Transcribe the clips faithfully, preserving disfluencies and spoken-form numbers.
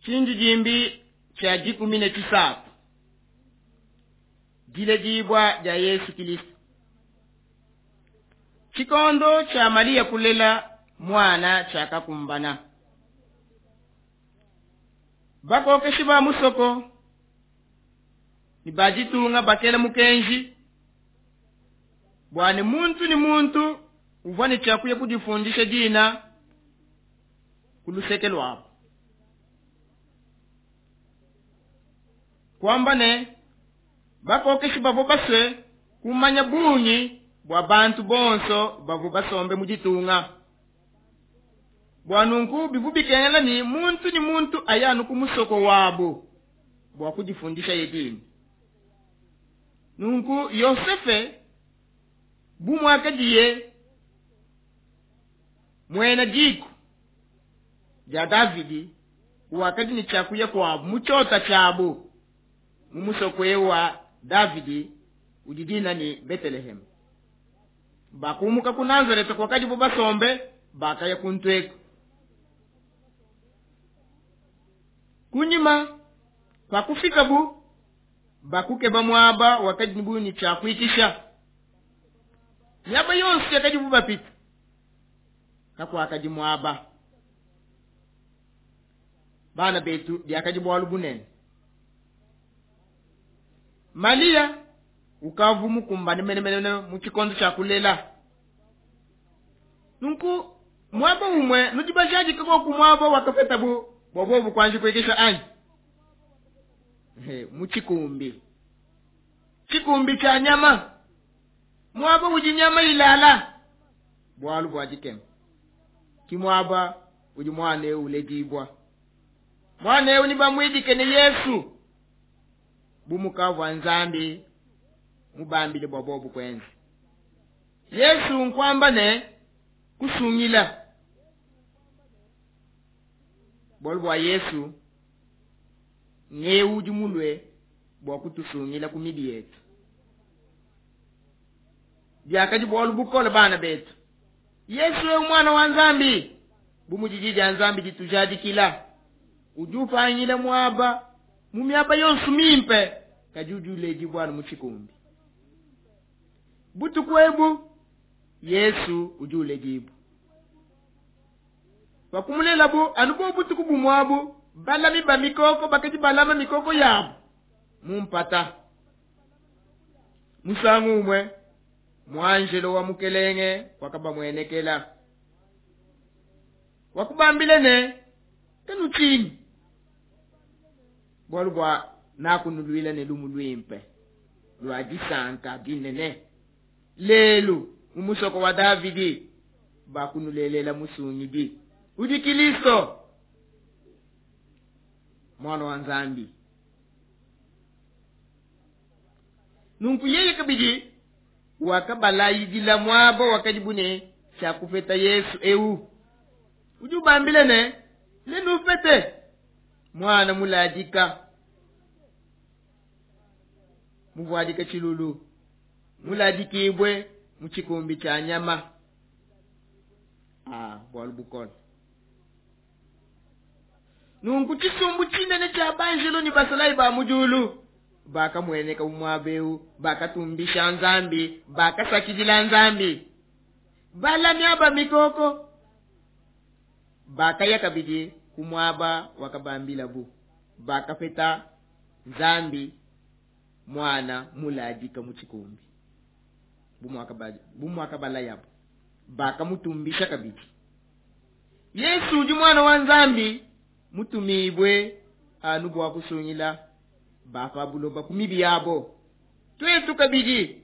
Tshindidimbi tshia dikumi ne tshisatu, diledibua dia Yesu Kilisto. Tshikondo tshia Malia kulela muana tshiakakumbana. Bakokeshi ba musoko ne ba ditunga bakela mukenji bua ne muntu ne muntu uvua ne tshiakuya kudifundisha dina ku luseke luabu. Kuamba ne bakokeshi bavua basue kumanya bungi bua bantu bonso bavua basombe mu ditunga. Bua nunku bivua bikengela ne muntu ne muntu aye anu ku musoko wabu bua kudifundisha ye dina. Nunku Yosefe bu muakadiye muena diku dia Davidi wakadi ne tshiakuya kuabu mu tshiota tshiabu mu musoko eu wa Davidi udi dina ne Betelehem. Bakumuka ku Nazareta kwakadibo basombe bakaya kuntu eku. Kunyima pakufikabu bakukeba muaba wakadibu ne tshiakuikisha. Miaba yonso yakadibu bapita kakuakadi muaba. Bana betu biakadi bualu bunene. Malia ukavu mukumbane menemene mu tshikondo tshia kulela. Nunku muaba umwe nudi bajadika koku muaba wakapetabu bua bobu kuanji kuikisha anyi? He, mu tshikumbi. Tshikumbi tshia nyama. Muaba udi nyama ilala. Bualu bua dikema. Ki muaba udi muana eu uledibua. Muana eu ni bamuidike ne Yesu. Bu mukavua Nzambi mubambile bua bobu kuenza. Yesu nkuamba ne kusungila. Bualu bua Yesu ngeu udi mulue bua kutusungila ku mibi yetu. Biakadi bualu bukole bana betu. Yesu eu mwana wa Nzambi bu mudi dia Nzambi ditujadikila udi upangila muaba mu miaba yonso mimpe kadi udi uledibua mu tshikumbi. Butuku ebu Yesu udi uledibua. Pakumulelabu anu bo butuku bumwabu balami ba mikoko bakadi balama mikoko yabu mu mpata. Musangu umwe muanjelo wa mukelenge wakabamuenekela. Wakubambile ne kanutshinyi bualu bua nakunuluila ne lumu luimpe lua disanka dinene. Lelu mu musoko wa Davidi bakunulelela musungidi udi Kilisto mwana wa Nzambi. Nunku yeye kabidi wakabalayidila muaba wakadibu ne tshiakupeta Yesu eu. Udi ubambile ne nenupete mwana muladika muvuadika tshilulu muladikibwe mu tshikumbi tshia nyama. Ah, bualu bukole. Nunku tshisumbu tshinene tshia banjelo ne basalayi ba mu diulu bakamueneka mu muaba eu, bakatumbisha Nzambi, bakasakidila Nzambi. Balami aba mikoko bakaya kabidi ku muaba wakabambilabu, bakapeta Nzambi mwana muladika mu tshikumbi bu muakabalayabu, bakamutumbisha kabidi. Yesu udi mwana wa Nzambi mutumibwe anu bua kusungila bapa buloba ku mibi yabo. Twetu kabidi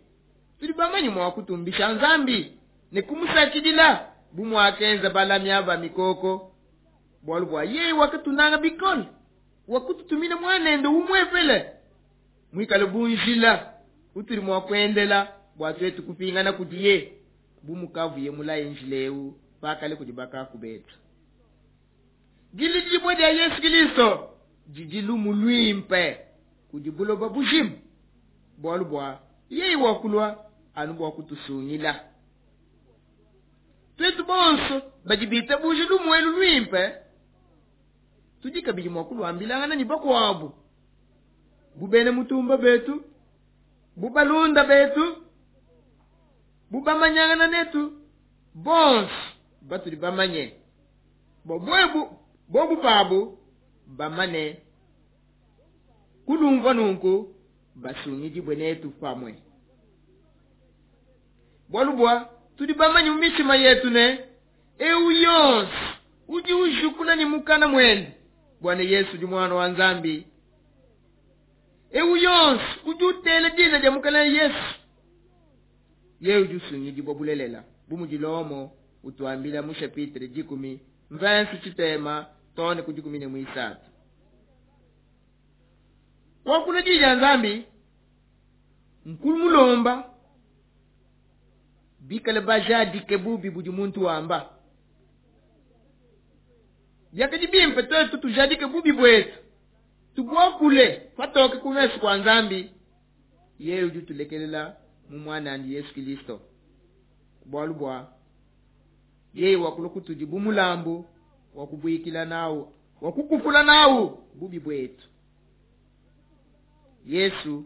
tudi bamanye mua kutumbisha Nzambi ne kumusakidila bu muakenza balami aba mikoko, bualu bua yeye wakatunanga bikole, wakututumina mwanende umwepele mwikale bunjila utuli mua kuendela bua twetu kupingana kudiye bu mukavuye mulaye njila eu pakale kudi bakaku betu. Dilidibua dia Yesu Kilisto didi lumu luimpe kudi buloba bujima, bualu bua yeye wakulua anu bua kutusungila. Twetu bonso badi bitabuje lumu elu luimpe Tudi kabidi mua kuluambilangana ne bakuabu bu bena mutumba betu, bu balunda betu, bu bamanyangana netu bonso batudi bamanye bobu bobu pabu bamane kulumva nunku basungidibwe netu pamwe. Bwalu bwa tudi bamanye mu mitshima yetu ne eu yonso udi ujukula ni mukana mwende bwana Yesu di mwana wa Nzambi. Eu yonso udi utela dina dia mukana Yesu ye udi usungidibwa bulelela bu mudi Lomo utuambila mu chapitre dikumi mvensi tshitema tone ku dikumi ne muisatu. Wakula di dia Nzambi nkulu mulomba bikale bajadike bubi budi muntu wamba. Biakadi bimpe twetu tujadike bubi bwetu tubwakule patoke ku mesu kwa Nzambi. Yeye udi utulekelela mu mwanandi Yesu Kristo bwalu bwa yeye wakula kutudi bu mulambu wa kubuikila nawu wa kukupula nawu bubi bwetu. Yesu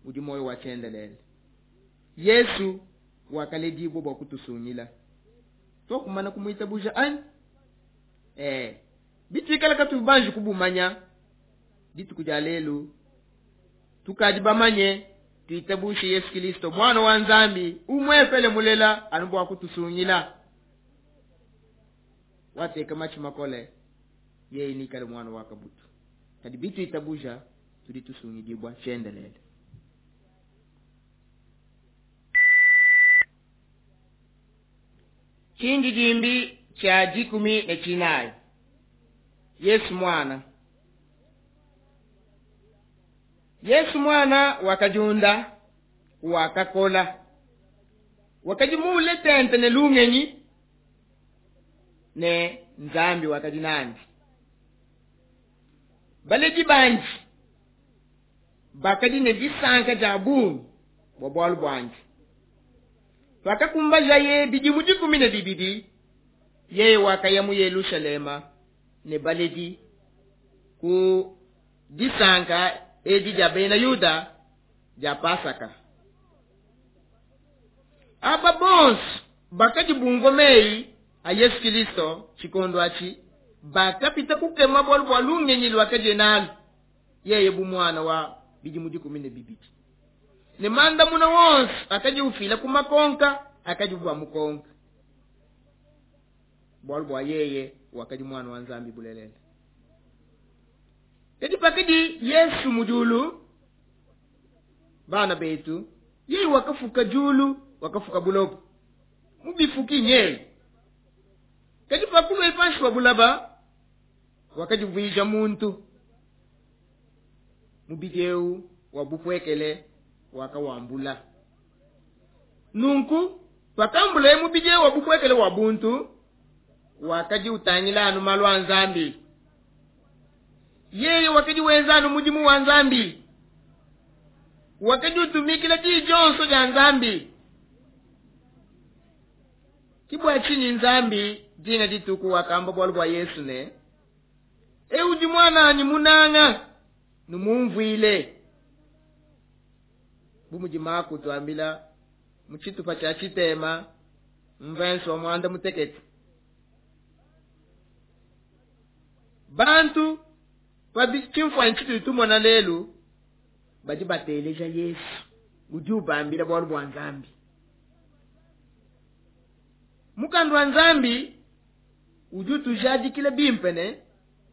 udi moyo wa tshiendelele. Yesu wakaledibwa bwa kutusungila twakumana kumwitabuja anyi eh bitwikala katubanji kubumanya dituku dia lelu tukadi bamanye tuitabushe Yesu Kristo mwana wa Nzambi umwefele mulela anu bwa kutusungila wateka machi makole yeye nikale mwana wa kabutu kadi bituitabuja tudi tusungidibwa tshiendelele. Chindi jimbi cha jikumi ne chinayi. Yesu mwana. Yesu mwana wakajunda wakakola wakajimule tente ne lungenyi ne Nzambi wakajinandi. Baledi banji bakadi ne disanka dia bungi bua bualu buandi. Pakakumbajaye bidimu dikumi ne bibidi yeye wakaya mu Yelushalema ne baledi ku disanka edi dia bena Yuda dia Pasaka. Aba bonso bakadi bumvua meyi a Yesu Kristo tshikondo atshi bakapita kukema bualu bua lungenyi luakadiye nalu yeye bu mwana wa bidimu dikumi ne bibidi. Ne mandamuna wonso akadi ufila ku makonka akadi bua mukonka bualu bua yeye wakadi mwana wa Nzambi bulelele. Kadi pakadi Yesu mujulu bana betu yeye wakafuka julu wakafuka bulobo mubifuki nyeye. Kadi pakulwa ipanshi wa bulaba wakadivuija muntu mubideu wa bupwekele wakawambula. Nunku pakambula mubideu wa bupwekele wa buntu wakadi utangila anu malu a Nzambi. Yeye wakadi wenza anu mudimu wa Nzambi wakadi utumikila di dionso dia Nzambi. Kibwa chinyi Nzambi dina dituku wakamba bwalu bwa Yesu ne eudi mwana ni munanga numumvwile. Bumudi Mako tuambila muchitupa cha chitema mvenso wa mwanda mutekete. Bantu pabi chimfwa nchitu tumona lelu badi bateleja Yesu udi ubambila bwalu bwa Nzambi. Mukandu wa Nzambi udi utujadikila bimpe ne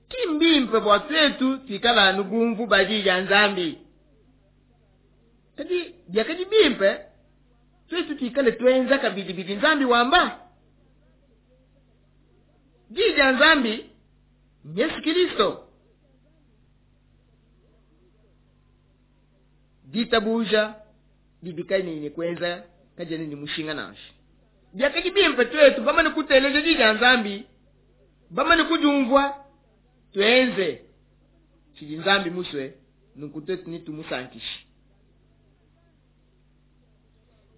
kimbimpe bwa twetu twikala anu bumvu badi ya Nzambi. Kadi byakadi bimpe twetu twikale twenza kabidi bidi Nzambi wamba. Di ya Nzambi Yesu Kristo. Ditabuja didikani ni kwenza kajani ni mushinga nashi. Byakadi bimpe twetu bamane kuteleja di ya Nzambi bamane kujumvwa twenze chidi Nzambi muswe nunku twetu ni tumusankishi.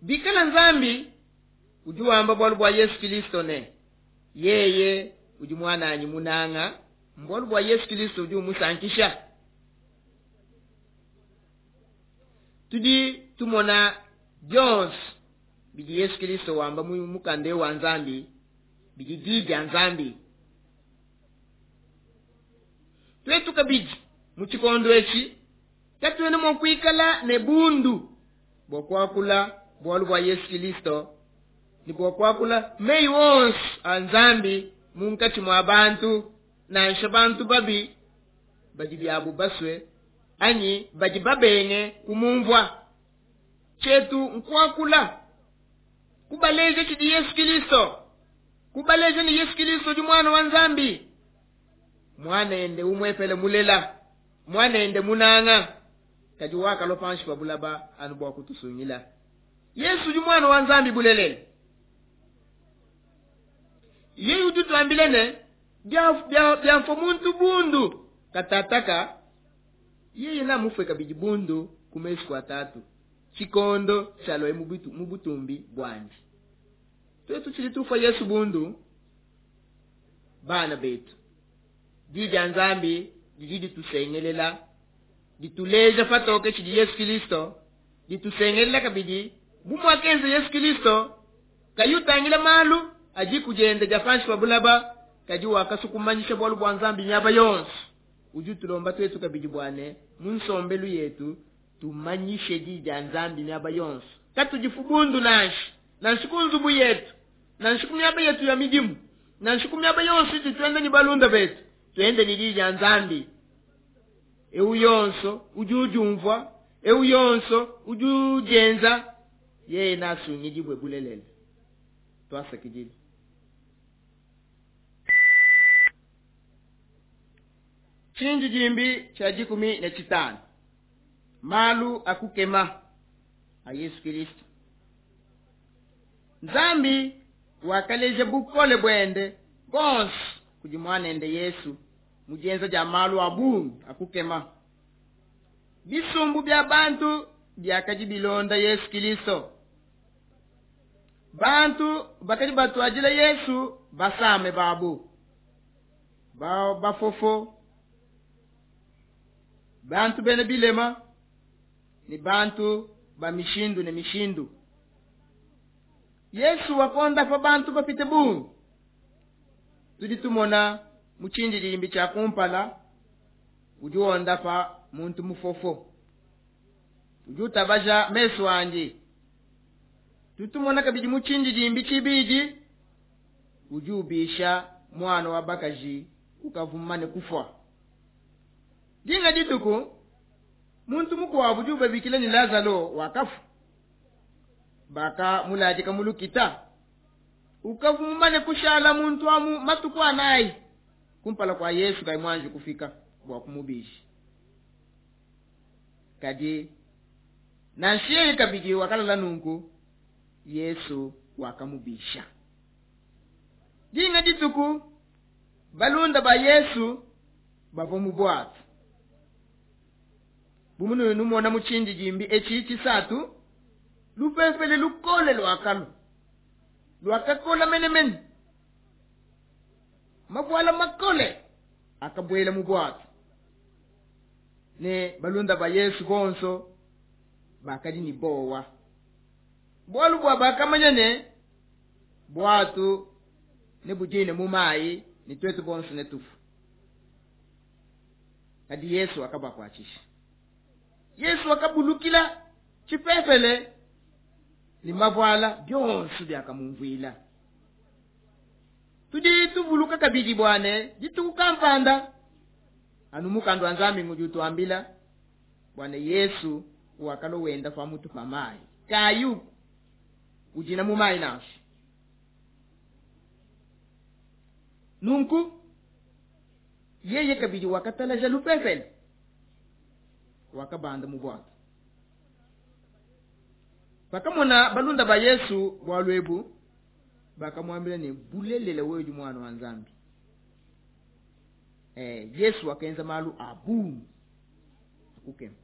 Bikala Nzambi udi wamba bwalu bwa Yesu Kristo ne yeye udi mwananyi munanga Mbualu bua Yesu Kristo udi umusankisha. Tudi tumona bionso bidi Yesu Kristo wamba mu mukanda wa Nzambi, bidi di dia Nzambi. Twetu kabidi mu tshikondo etshi katuena mua kuikala ne bundu bua kuakula bualu bua Yesu Kristo ne bua kuakula meyi wonso a Nzambi munkatshi mua bantu, nansha bantu babi badi biabu basue anyi badi babenge kumumvua. Tshietu nkuakula kubaleja tshidi Yesu Kristo, kubaleja ne Yesu Kristo udi mwana wa Nzambi, mwana ende umwepele mulela, mwana ende munanga, kadi wakalua panshi pa bulaba anu bua kutusungila. Yesu udi mwana wa Nzambi bulelele. Yeye udi utuambila ne bia, bia, bia mfo muntu bundu katataka, yeye na mufwe kabidi bundu ku mesu kwa tatu tshikondo tshialua mu bitu, mu butumbi bwandi. Twetu tshidi tufa Yesu bundu, bana betu, di dia Nzambi didi ditusengelela, dituleja patoke tshidi Yesu Kristo, ditusengelela kabidi bu muakenza Yesu Kristo kayi utangila malu adi kudienda dia panshi pa bulaba, kadi wakasukumanyisha bualu bua Nzambi miaba yonso. Udi utulomba twetu kabidi bua ne mu nsombelu yetu tumanyishe di dia Nzambi miaba yonso, katudifu bundu nansha, nansha ku nzubu yetu, nansha ku miaba yetu ya midimu, nansha ku miaba yonso itu tuenda ne balunda betu, tuende ne di dia Nzambi. Eu yonso udi udiumvua, eu yonso udi udienza, yeye nasungidibwe bulelele. Twasakidile. Tshindi dimbi tshia dikumi ne tshitanu. Malu akukema a Yesu Kristo. Nzambi wakaleja bukole bwende bonso kudi mwanende Yesu mu dienza dia malu a bungi akukema. Bisumbu bia bantu biakadi bilonda Yesu Kristo. Bantu bakadi batuadila Yesu basame babu, ba bafofo, bantu bena bilema ne bantu ba mishindu ne mishindu. Yesu wakondapa bantu bapite bungi. Tudi tumona mu tshindidimbi tshia kumpala udi wondapa muntu mufofo, udi utabaja mesu andi. Tutumona kabidi mu tshindidimbi tshibidi udi ubisha mwana wa bakaji ukavumane kufwa. Dinga dituku muntu mukuabu udi ubabikila ni Lazaro wakafu, baka muladika mulukita, ukavumane kushala muntu amu matuku anayi kumpala kwa Yesu kai mwanji kufika bua kumubisha. Kadi nanshiye kabidi wakalala nunku, Yesu wakamubisha. Dinga dituku balunda ba Yesu bavua mu bwatu. Bumunu numona mu tshindidimbi etshi tshisatu, lupepele lukole lwakalu lwakakola menemene, mavuala makole akabwela mu bwatu. Ne balunda ba Yesu bonso bakadi ni bowa, bwalu bwa bakamanya ne bwatu ne budine mu mayi ni twetu bonso ne tufu. Kadi Yesu akabakwachisha. Yesu akabulukila tshipepele ni mavuala byonso byakamumvuila. Tudi tuvuluka kabidi bwane dituku kampanda anu mukanda wa Nzambi ngudi utuambila bwane Yesu wakalo wenda pa mutu pa mayi kayu ujina mu mayi nansha. Nunku yeye kabidi wakatalaja lupepele, wakabanda mu bwato. Pakamona balunda ba Yesu bwalu ebu, bakamwambila ne bulelele wewe udi mwana wa Nzambi. Eh, Yesu wakenza malu abungi akukema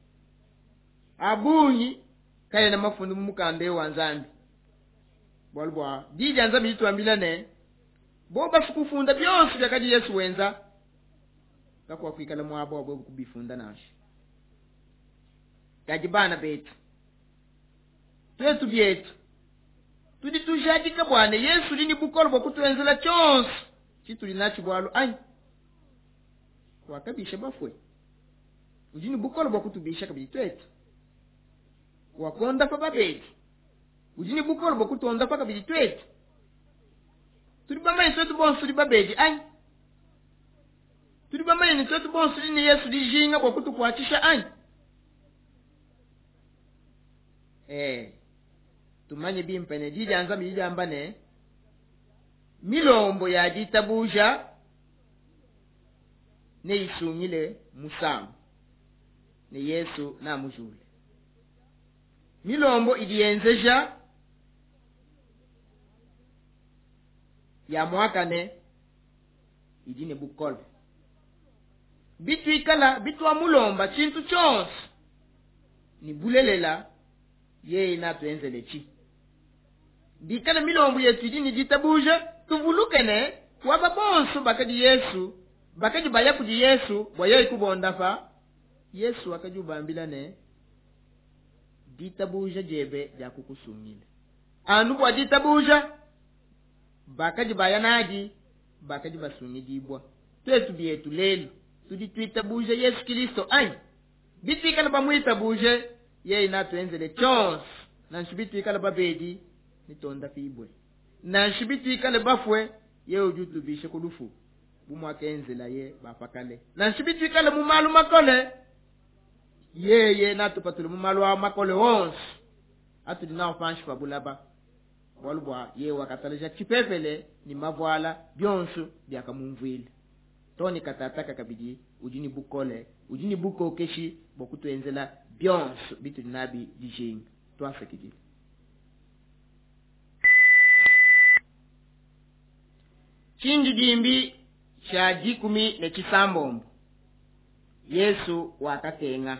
abungi kaya na mafundu mu mukanda wa Nzambi. Bwalu bwa di dia Nzambi dituambila ne bo bafukufunda byonso byakadi Yesu wenza, Kakuakuikala muaba wa bobu kubifunda nansha. Kadi bana betu, tuetu bietu tudi tujadika bua ne Yesu udi ne bukole bua kutuenzela tshionso tshitudi natshi bualu anyi? Wakabisha bafue, udi ne bukole bua kutubisha kabidi tuetu. Wakondapa babedi, udi ne bukole bua kutuondapa kabidi tuetu. Tudi bamanye tuetu bonso tudi babedi anyi? Tudi bamanye ne tuetu bonso tudi ne Yesu dijinga bua kutukuatshisha anyi? Eh, tumanye bimpe ne di dia Nzambi diamba ne milombo ya ditabuja neisungile musamu ne Yesu namujule. Milombo idi yenzeja ya mwakane idi ne bukole. Bituikala bitwa mulomba tshintu tshionso ni bulelela yeye natuenzele tshi. Bikala milombo yetu idi ne ditabuja, tuvuluke ne waba bonso bakadi Yesu, bakadi baya kudi Yesu bua yeye kubondapa. Yesu wakadi ubambila ne ditabuja diebe dia kukusungila. Anu bua ditabuja bakadi baya nadi, bakadi basungidibua. Tuetu bietu lelu tudi tuitabuja Yesu Kristo anyi? Bituikala bamuitabuje yeye natuenzele tshionso, nansha bituikala babedi nitonda pibwe, nansha bituikale bafue yeye udi utubisha ku lufu bu muakenzela ye bapakale, nansha bituikale mu malu makole yeye natupatule mu malu a makole onso atudi nawo panshi pa bulaba, bualu bua yeye wakatalaja tshipepele ni mavuala bionso biakamumvuila. Toni katataka kabidi udi ne bukole, udi ne bukokeshi bua kutuenzela bionso bitudi nabi dijinga. Twasakidile. Tshindidimbi tshia dikumi ne tshisambombo. Yesu wakakenga.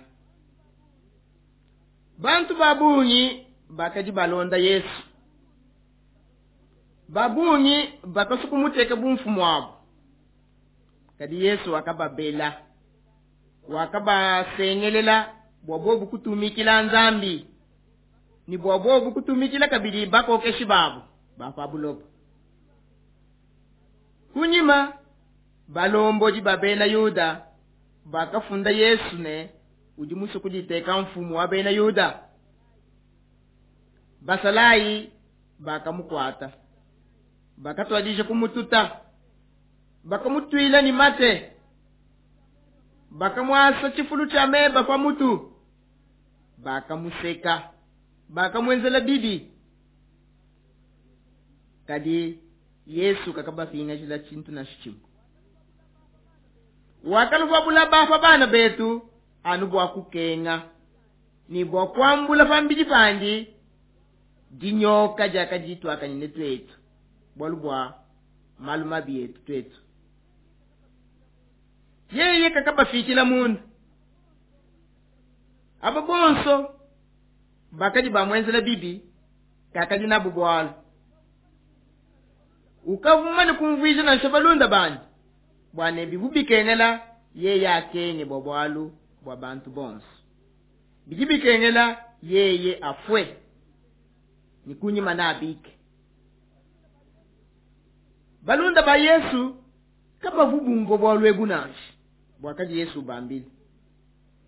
Bantu babungi bakadi balonda Yesu. Babungi bakasukumuteka bumfumu wabo. Kadi Yesu wakababela, wakabasengelela bua bobu kutumikila Nzambi ni bua bobu kutumikila kabidi bakokeshi babo ba pa buloba. Kunyima balombodi ba bena Yuda bakafunda Yesu ne udi musue kuditeka mfumu wa bena Yuda. Basalayi bakamukuata, bakatuadija kumututa, bakamutuila ni mate, bakamuasa tshifulu tshia meba pa mutu, bakamuseka, bakamuenzela bibi. Kadi Yesu kakabapingajila tshintu nansha tshimue. Wakalua bulaba pa bana betu anu bua kukenga ni bua kuambula pambidi pandi dinyoka diakadituakanyine tuetu, bualu bua malu mabi etu tuetu. Yeye kakabafikila munda. Aba bonso bakadi bamuenzela bibi kakadi nabu bualu. Ukavumane kumvuija nansha balunda bandi bua ne bivu bikengela yeye akenge bua bualu bua bantu bonso. Bidi bikengela yeye afue ni kunyima na abike. Balunda ba Yesu kabavu bumvua bualu ebu nansha buakadi Yesu ubambila,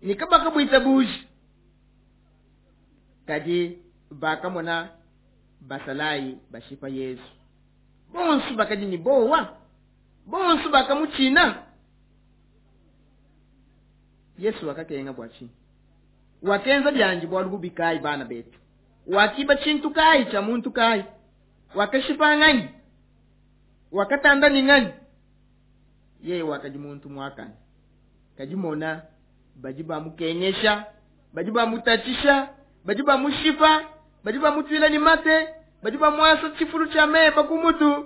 ni kabakabuitabuja. Kadi bakamona basalayi bashipa Yesu. Bonso bakadi ni bowa, bonso bakamutshina. Yesu wakakenga bua tshinyi? Wakenza bianji bualu bubi kayi bana betu? Wakiba tshintu kayi tshia muntu kayi? Wakashipa nganyi? Wakatanda ni nganyi? Yeye wakadi muntu muakane. Kadi mona badi bamukengesha, badi bamutatshisha, badi bamushipa, badi bamutuila ni mate, badi bamuasa tshifulu tshia meba ku mutu,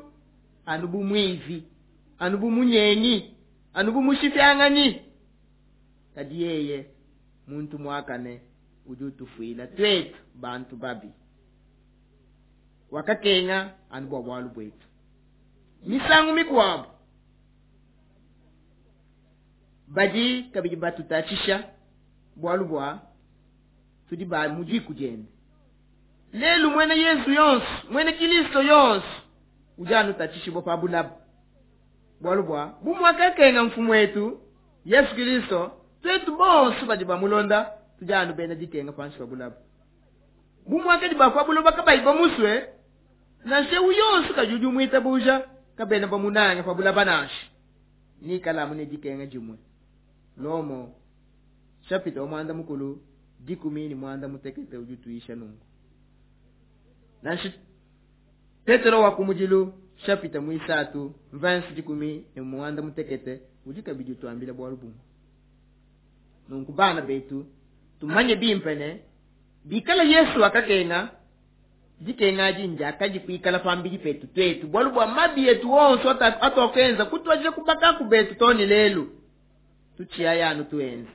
anu bu muivi, anu bu munyengi, anu bu mushifyanganyi. Kadi yeye muntu muakane udi utufuila tuetu bantu babi. Wakakenga anu bua bualu buetu. Misangu mikuabu Badi kabidi batutatshisha bwalu bwa tudi ba mu diku diende. Lelu mwene Yesu yonso, mwene Kristo yonso udi anutatshishibwa pa bulaba. Bwalu bwa bu mwakakenga mfumu wetu Yesu Kristo, twetu bonso badi bamulonda tudi anu bena dikenga panshi pa bulaba. Bu mwakadi ba pa buloba kabayi bamuswe, nansha eu yonso kadi udi umwitabuja kabena bamunange pa bulaba nansha. Nikala ne dikenga dimwe. Lomo chapitre wa mwanda mukulu dikumi ni mwanda mutekete udi tuisha nungu. Nansha Petero wa kumudilu chapitre mwisatu verse dikumi ni mwanda mutekete udi kabidi tuambila bwalu bumwe. Nunku bana betu tumanye bimpe ne bikala Yesu akakenga dikenga jinja akaji kuikala pambili petu twetu bwalu bwa mabi yetu wonso atokenza kutwaje kubaka kubetu toni lelu tuchiya yanu tuenze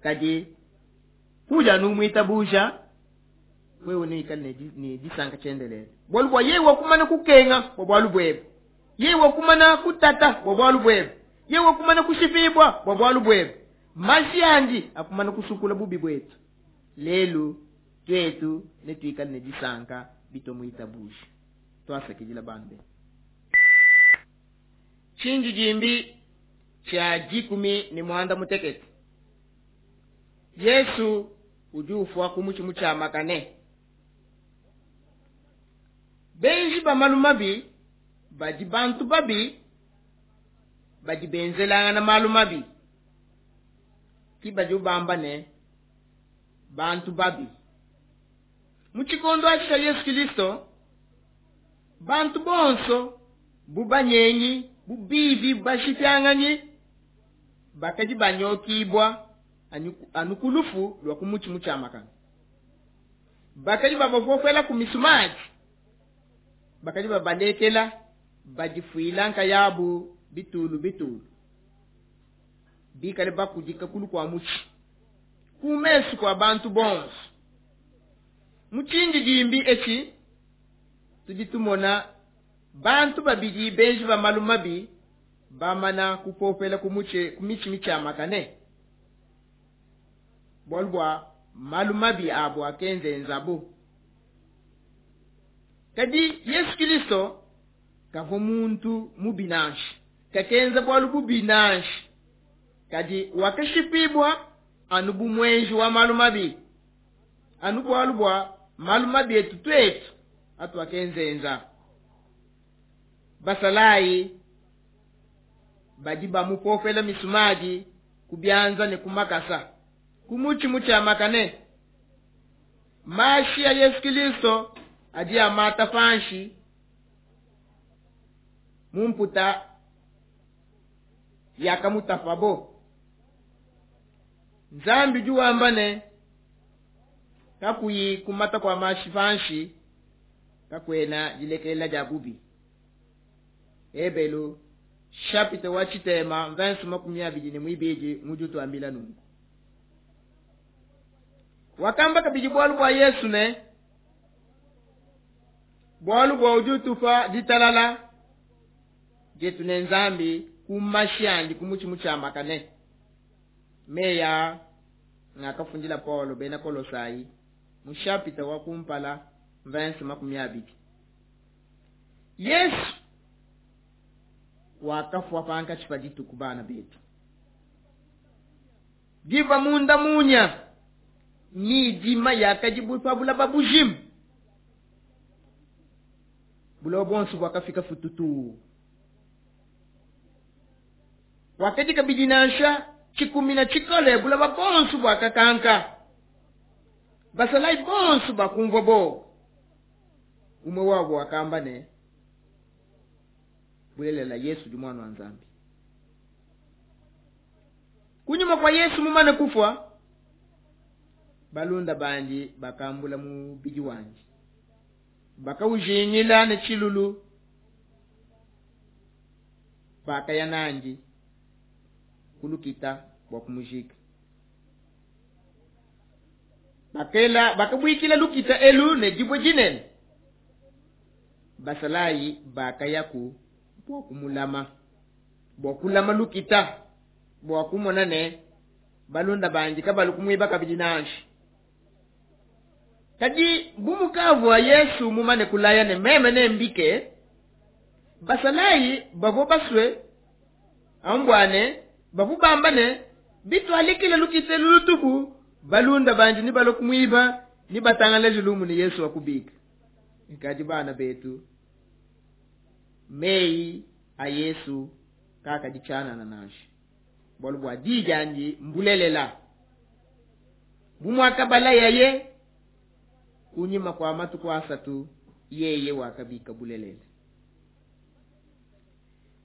kadi kuja numwita buja wewe ni ni, ni disanka chendelele bwalu bwa yewe kumana kukenga bwa bwalu bwebe yewe kumana kutata bwa bwalu bwebe yewe kumana kushipibwa bwa bwalu bwebe mashi andi akumana kusukula bubi bwetu lelu twetu netwikale ne disanka bitomwita buja twasakidila bambe. Chinji jimbi cha jikumi ni mwanda mutekete. Yesu udi ufwa kumuchi muchamakane. Benji ba malu mabi badi bantu babi badi benzelanga na malu mabi ki badi ubamba ne bantu babi. Muchikondo acha Yesu Kristo bantu bonso bubanyenyi bubibi bashityanganyi bakaji banyokibwa anukulufu lwa kumuchi muchamakana. Bakaji babafofela kumisumaji bakaji babalekela bajifuila nkayabu bitulu bitulu bikale bakudika kulu kwa muchi kumesu kwa bantu bonso. Muchinji jimbi echi tujitumona bantu babidi benji ba malu mabi bamana kupopela kumuche kumichi michamakane bwalu bwa malu mabi abo akenze nzabo. Kadi Yesu Kristo kavo muntu mubinanshi kakenza bwalu bubinanshi kadi wakashipibwa anubu mwenji wa malu mabi anu bwalu bwa malu mabi etu twetu atu akenzenza. Basalai badi bamupofela misumaji kubyanza ne kumakasa kumuchi muchamakane. Mashi ya Yesu Kristo adi amata panshi mumputa yakamutafabo. Nzambi juwambane kakuyi kumata kwa mashi panshi kakwena jilekela jabubi. Ebelu chapitre wa chitema verse makumi abiri ne mwibiji mujutu ambila nungu. Wakamba kabiji bwalu bwa Yesu ne bwalu bwa ujutu fa ditalala jetu ne nzambi kumashi kumuchi muchamakane. Meya ngakafundila Paulo bena Kolosai mu chapitre wa kumpala verse makumi abiri. Yesu wakafwa panka chipaditu kubana betu diva munda munya ni dima yakajibu pabula babujim bulo bonso wakafika fututu wakati kabidi nansha chikumi na chikole bula babonso bwakakanka basalai bonso bakumva bo umwe wabo wakamba ne bulelela Yesu di mwana wa Nzambi. Kunyuma kwa Yesu mumane kufwa balunda bandi bakambula mu biji wanje bakaujinyila ne chilulu bakaya nanji kulukita bwa kumujika bakela bakabwikila lukita elu ne jibwe jinene. Basalai bakayaku bwa kumulama bwa kulama lukita. bua kumona ne balunda bandi kabalu kumwiba kabidi nansha. Kadi bu mukavua Yesu mumane kulaya ne meme nembike, basalayi bavua basue ambwane bavua bamba ne bitwalikile lukite lulutupu balunda bandi ni balue kumwiba ni batangalaje lumu ne Yesu wakubika. Kadi bana betu, meyi a Yesu kakaditshianana nansha, bualu bua diyi diandi mbulelela. Bu muakabalayaye kunyima kua matuku asatu, yeye wakabika bulelela.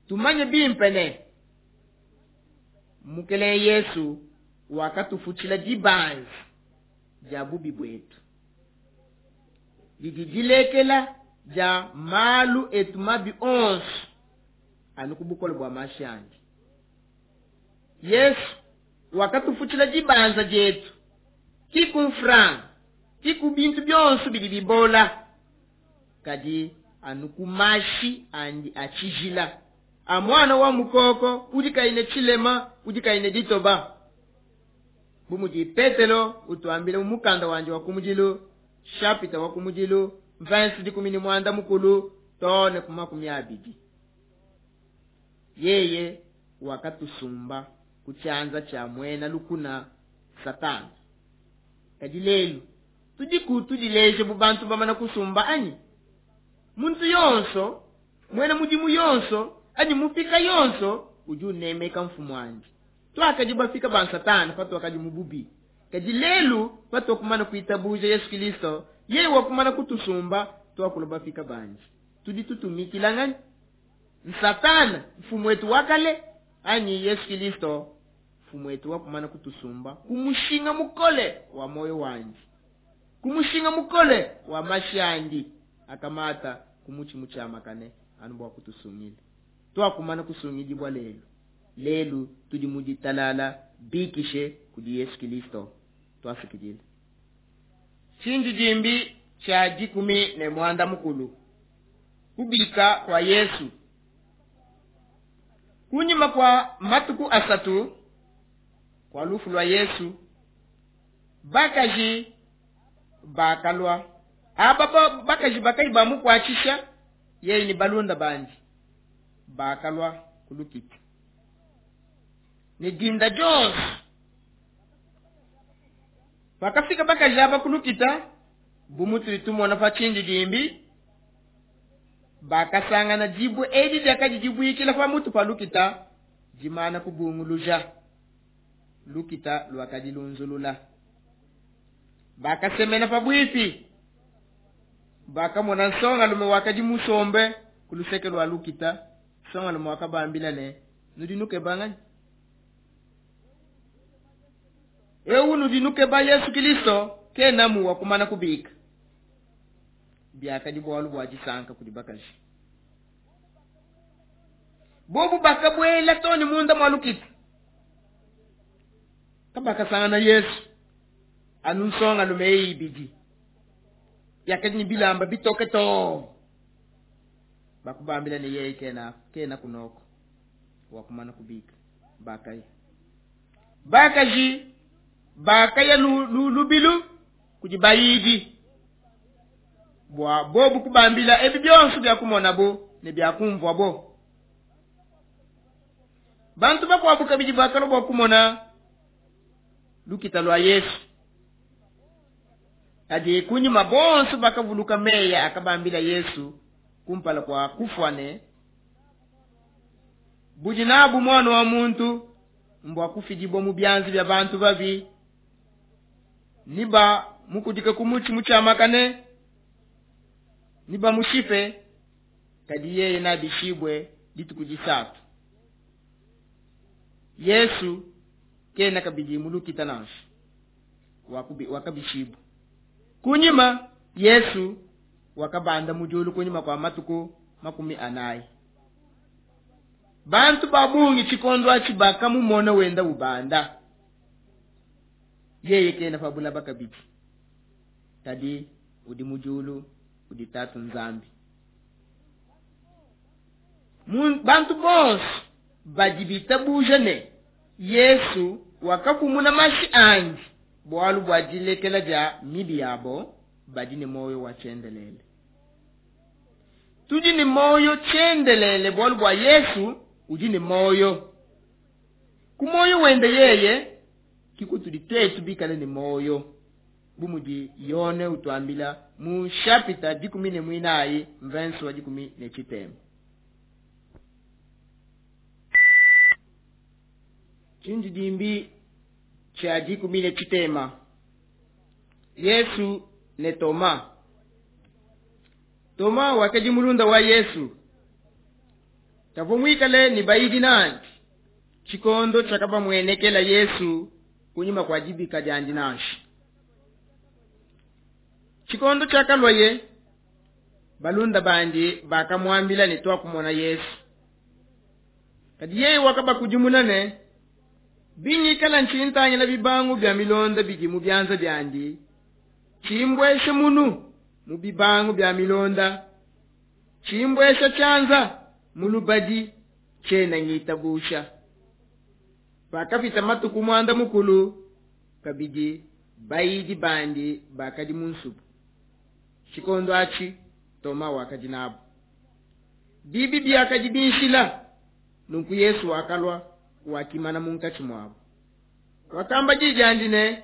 Tumanye bimpe ne Mukelenge Yesu wakatufutshila dibanza dia bubi buetu, didi dilekela dia malu etu mabi onso anu ku bukole bua mashi andi. Yesu wakatufutshila dibanza dietu ki ku mfranga, ki ku bintu bionso bidi bibola, kadi anu ku mashi andi a tshijila a mwana wa mukoko udi kayi ne tshilema, udi kayi ne ditoba. Bu mudi Petelo utuambila mu mukanda wandi wa kumudilu, chapitre wa kumudilu, verse dikumi ne muanda mukulu too ne ku makumi abidi. Yeye wakatusumba ku tshianza tshia muena lukuna Satana. Kadi lelu tudiku tudileje bu bantu bamana kusumba anyi? Muntu yonso, muena mudimu yonso, anyi mupika yonso udi unemeka mfumu andi. Tuakadi bafika ba Satana patuakadi mu bubi, kadi lelu patuakumana kuitabuja Yesu Kristo, yeye wakumana kutusumba, tuakula bafika bandi. Tudi tutumikila ngani? Satana mfumu wetu wa kale anyi Yesu Kristo mfumu wetu wakumana kutusumba ku mushinga mukole wa moyo wandi, ku mushinga mukole wa mashi andi akamata ku mutshi mutshiamakane anu bua kutusungila. Tuakumana kusungidibua lelu. Lelu tudi mu ditalala bikishe kudi Yesu Kristo. Tuasakidila. Tshindidimbi tshia dikumi ne muanda mukulu, kubika kua Yesu. Kunyima kua matuku asatu kua lufu lua Yesu, bakaji bakalua. Aba ba-, bakaji bakayi bamukuatshisha yeye ne balunda bandi bakalua ku lukita ne dinda dionso. Pakafika bakaji aba ku lukita, bu mutudi tumona pa tshindidimbi, bakasangana dibue edi diakadi dibuikila pa mutu pa lukita dimana kubunguluja. Lukita luakadi lunzulula. Bakasemena pabuipi, bakamona nsongalume wakadi musombe ku luseke lua lukita. Nsongalume wakabambila ne, nudi nukeba nganyi? Eu nudi nukeba Yesu Kristo, kenamu wakumana kubika. Biakadi bualu bua disanka kudi bakaji. Bobu bakabuela too ne munda mua lukita, kabakasangana Yesu anu nsongalume eyi ibidi yakadi ne bilamba bitoke too. Bakubambila ne yeye kena, kena kunoko wakumana kubika. Bakaya bakaji bakaya lu, lu, lubilu kudi bayidi bua bobu kubambila ebi bionso bia kumonabo ne bia kumvuabo. Bantu bakuabu kabidi bakalua bua kumona lukita lua Yesu. Kadi kunyima bonso bakavuluka meyi akabambila Yesu kumpala kua kufua ne, budi nabu mwana wa muntu mbua kufidibua mu bianza bia bantu babi, niba mukudike ku mutshi mutshiamakane, niba mushipe, kadi yeye nabishibue dituku disatu. Yesu kena kabidi mu lukita nansha, wakubi-, wakabishibua. Kunyima Yesu wakabanda mu diulu kunyima kua matuku makumi anayi. Bantu ba bungi tshikondo atshi bakamumona wenda ubanda. Yeye kena pa bulaba kabidi, kadi udi mu diulu, udi Tatu Nzambi. Mun-, bantu bonso badi bitabuja ne Yesu wakapumuna mashi andi bualu bua dilekela dia mibi yabo, badi ne muoyo wa tshiendelele. Tudi ne muoyo tshiendelele bualu bua Yesu udi ne muoyo. Ku muoyo wende yeye ke kutudi tuetu bikale ne muoyo, bu mudi Yone utuambila mu shapita dikumi ne muinayi mvensi wa dikumi ne tshitema. Tshindidimbi tshia dikumi ne tshitema. Yesu ne Toma. Toma wakadi mulunda wa Yesu. Kavua muikale ne bayidi nandi tshikondo tshiakabamuenekela Yesu kunyima kua dibika diandi nansha. Tshikondo tshiakalwaye, balunda bandi bakamuambila ne tuakumona Yesu. Kadi yeye wakabakudimuna ne, bingikala ntshintangila bibangu bia milonda bidi mu bianza biandi, tshimbweshe munu mu bibangu bia milonda, tshimbwesha tshianza mu lubadi, tshiena ngitabusha. Pakapita matuku muanda mukulu, kabidi bayidi bandi bakadi mu nsubu. Tshikondo atshi Toma wakadi nabo. Bibi biakadi binshila, nunku Yesu wakalua, wakimana munkatshi muabo. Wakamba di diandi ne,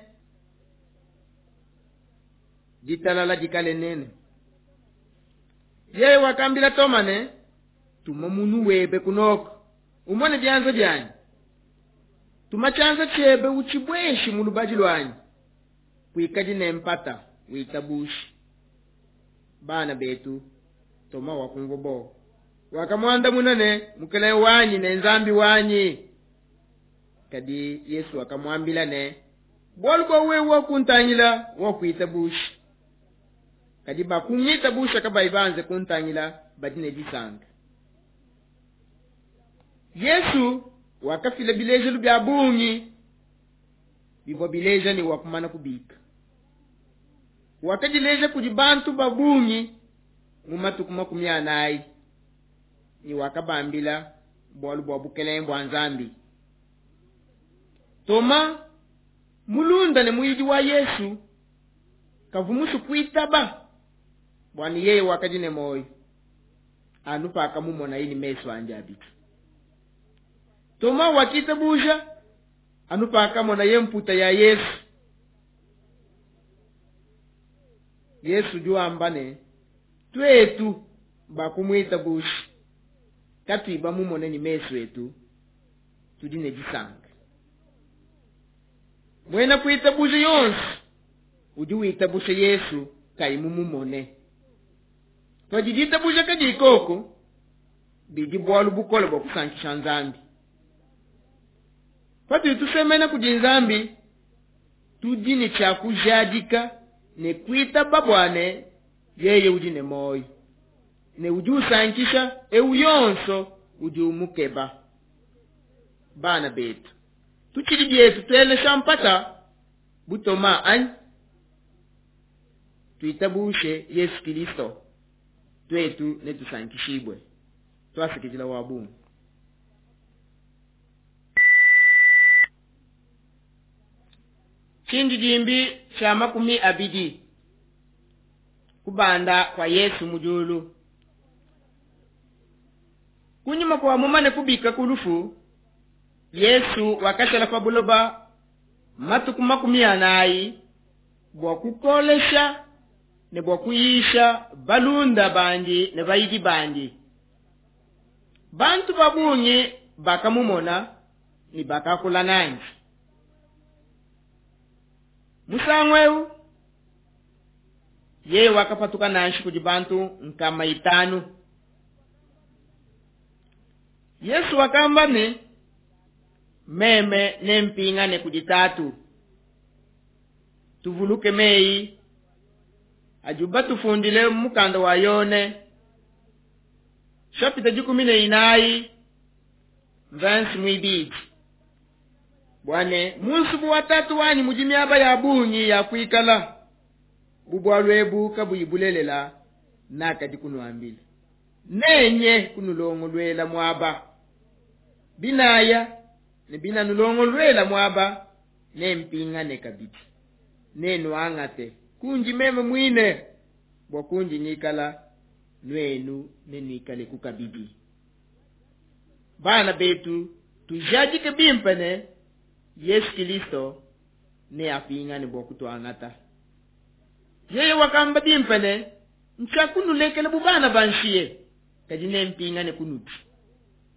ditalala dikale nene. Yeye wakambila Toma ne, tuma munu webe kunoko, umone bianza bianyi. Tuma tshianza tshiebe utshibweshi mu lubadi luanyi. Kuikadi ne mpata, witabushi. Bana betu, Toma wakumvua bo. Wakamuandamuna ne, Mukelenge wanyi ne Nzambi wanyi. Kadi Yesu wakamuambila ne, bualu bua wewe wakuntangila, wakuitabushi. Kadi bakungitabushi kabayi banze kuntangila, badi ne disanka. Yesu wakafila bilejelu bia bungi bivua bileja ne wakumana kubika. Wakadileja kudi bantu ba bungi mu matuku makumi anayi, ne wakabambila bualu bua bukelenge bua Nzambi. Toma, mulunda ne muyidi wa Yesu, kavua musue kuitaba bua ne yeye wakadi ne muoyo, anu pakamumonaye ne mesu andi abidi. Toma wakitabuja anu pakamonaye mputa ya Yesu. Yesu udi wamba ne, tuetu bakumuitabuja, katuyi bamumone ne mesu etu, tudi ne disanka. Muena kuitabuja yonso udi witabusha Yesu kayi mumumone. Padi ditabuja kadi koko, bidi bualu bukole bua kusankisha Nzambi. Patudi tusemena kudi Nzambi, tudi ne tshia kujadika ne kuitaba bua ne yeye udi ne muoyo, ne udi usankisha ewu yonso udi umukeba. Bana betu, tutshidi bietu tuelesha mpata butoma anyi? Tuitabushe Yesu Kristo, tuetu netusankishibwe. Twasikijila wa bungi. Tshindidimbi tshia makumi abidi. Kubanda kwa Yesu mu diulu. Kunyima kua mumane kubika ku lufu, Yesu wakashala pa buloba matuku makumi anayi bua kukolesha ne bua kuyisha balunda bandi ne bayidi bandi. Bantu ba bungi bakamumona ne bakakula nandi. Musangu eu, yeye wakapatuka nanshi kudi bantu nkama itanu. Yesu wakamba ne, meme nempingane kudi Tatu. Tuvuluke meyi adi batufundile mu mukanda wa Yone, chapitre dikumi ne inayi, verse muibidi. Bwane, mu nsubu wa Tatu wanyi mudi miaba ya bungi ya kuikala. Bu bualu ebu kabuyi bulelela, nakadi kunuambila. Nenye kunulongoluela muaba. Binaya, Ne binanulongoluela muaba, nempingane kabidi, nennuangate kundi meme muine, bua kundi ngikala, nuenu nenuikaleku kabidi. Bana betu, tujadike bimpe ne Yesu Kilisto neapingane bua kutuangata. Yeye wakamba bimpe ne, ntshiakunulekela bu bana ba nshiye, kadi nempingane kunudi.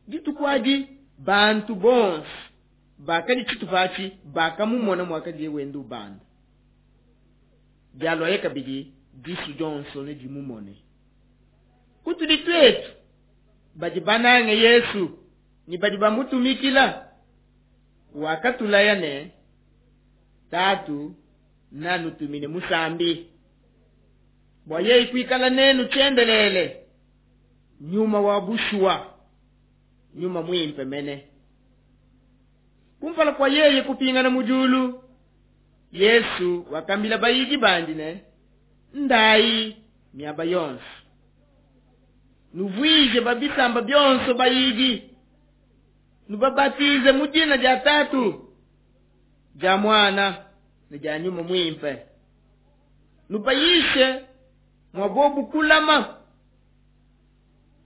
Dituku adi bantu bonso bakadi tshitupa atshi bakamumona muakadiye wenda ubanda. Dialuaye kabidi disu dionso nedimumone. Kutudi tuetu badi banange Yesu ne badi bamutumikila, wakatulaya ne, Tatu nanutumine musambi bua yeye kuikala nenu tshiendelele, nyuma wa bushuwa, nyuma muimpe mene. Kumpala kua yeye kupingana mu diulu, Yesu wakambila bayidi bandi ne, ndayi miaba yonso, nuvuije babisamba bionso bayidi, nubabatize mu dina dia Tatu, dia Mwana ne dia Nyuma Muimpe, nubayishe mua bobu kulama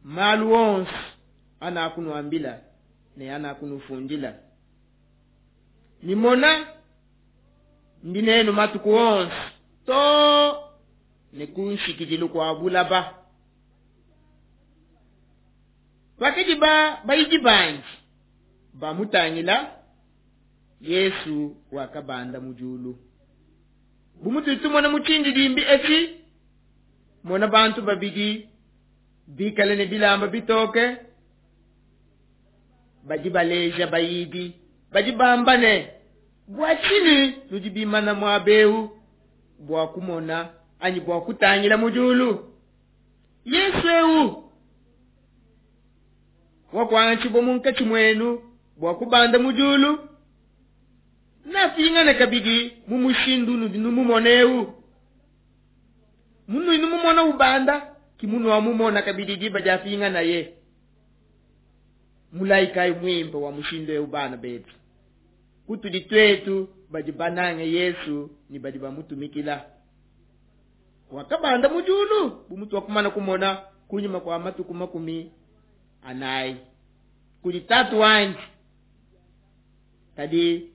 malu onso anakunuambila ne anakunufundila. Nimona ndi nenu matuku onso to ne ku nshikidilu kua bulaba. Pakadi ba bayidi bandi bamutangila, Yesu wakabanda mu diulu. Bu mutudi tumona mu tshindidimbi etshi, mona bantu babidi bikale ne bilamba bitoke, badi baleja bayidi, badi bamba ne, bua tshinyi nudi bimana muaba eu bua kumona anyi bua kutangila mu diulu? Yesu eu wakuangatshibua munkatshi muenu bua kubanda mu diulu, napingane kabidi mu mushindu unudi numumona eu. Munudi numumona ubanda, ki munuamumona kabidi diba diapinganaye. Mulayi kayi muimpe wa mushindu eu bana betu, kutudi tuetu badi banange Yesu ne badi bamutumikila. Wakabanda mu diulu bu mutu wakumana kumona kunyima kua matuku makumi anayi kudi Tatu wandi. Kadi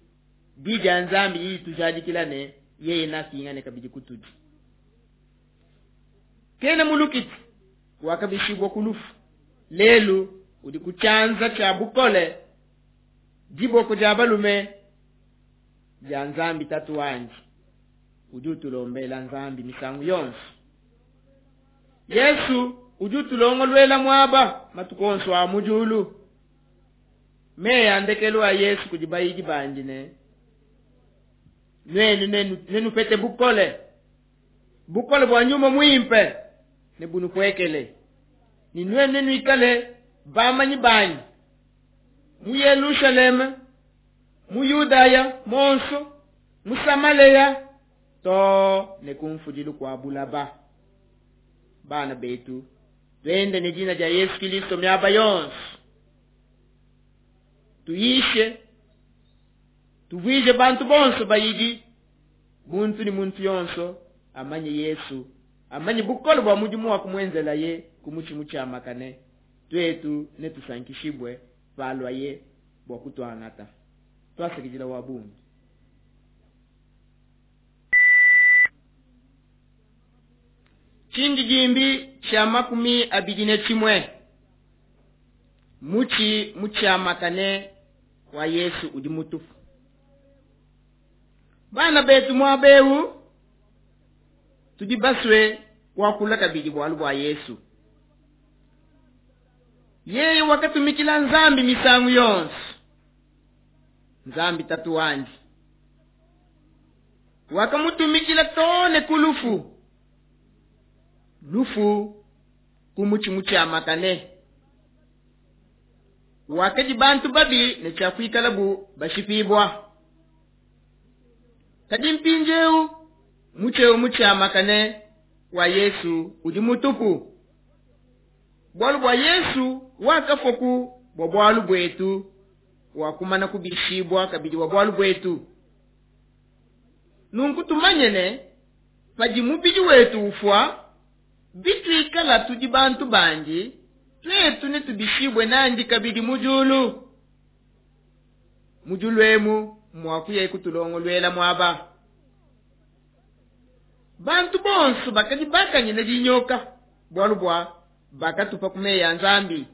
di dia Nzambi didi tujadikila ne yeye napingane kabidi kutudi. Kena mulukiti wakabishibwa ku lufu, lelu udi ku tshianza tshia bukole diboko dia balume dia Nzambi Tatu wandi, udi utulombela Nzambi misangu yonso. Yesu udi utulongoluela muaba matuku onso a mu diulu. Meyi a ndekelu a Yesu kudi bayidi bandi ne, nuenu nenu, nenupete bukole, bukole bua nyuma muimpe ne bunupuekele, ne nuenu nenuikale bamanyi banyi mu Yelushalema, mu Yudaya monso, mu Samaleya, to ne ku mfudilu kua bulaba. Bana betu, twende ne dina dia Yesu Kristo miaba yonso, tuyishe, tuvuije bantu bonso bayidi, muntu ni muntu yonso amanye Yesu, amanye bukole bua mudimu wa kumuenzelaye ku mutshi mutshiamakane, twetu netusankishibwe palwaye bua kutuangata. Twasekejila wa bungi. Tshindidimbi tshia makumi abidi ne tshimue, mutshi mutshiamakane wa Yesu udi mutupu. Bana betu muaba eu tudi basue kuakula kabidi bualu bua Yesu. Yeye wakatumikila Nzambi misangu yonso, Nzambi Tatu wandi wakamutumikila too ne ku lufu, lufu ku mutshi mutshiamakane. Wakadi bantu babi ne tshiakuikala bu bashipibua. Kadi mpindieu mutshi eu mutshiamakane wa Yesu udi mutupu, bualu bua Yesu wakafua ku bua bualu buetu wakumana kubishibua kabidi wa bualu buetu. Nunku tumanye ne padi mubidi wetu ufua, bituikala tudi bantu bandi, twetu netubishibwe nandi kabidi mu diulu. Mu diulu emu mwakuya kutulongoluela mwaba. Bantu bonso bakadi bakanyina dinyoka bualu bua bakatupa ku meyi a Nzambi.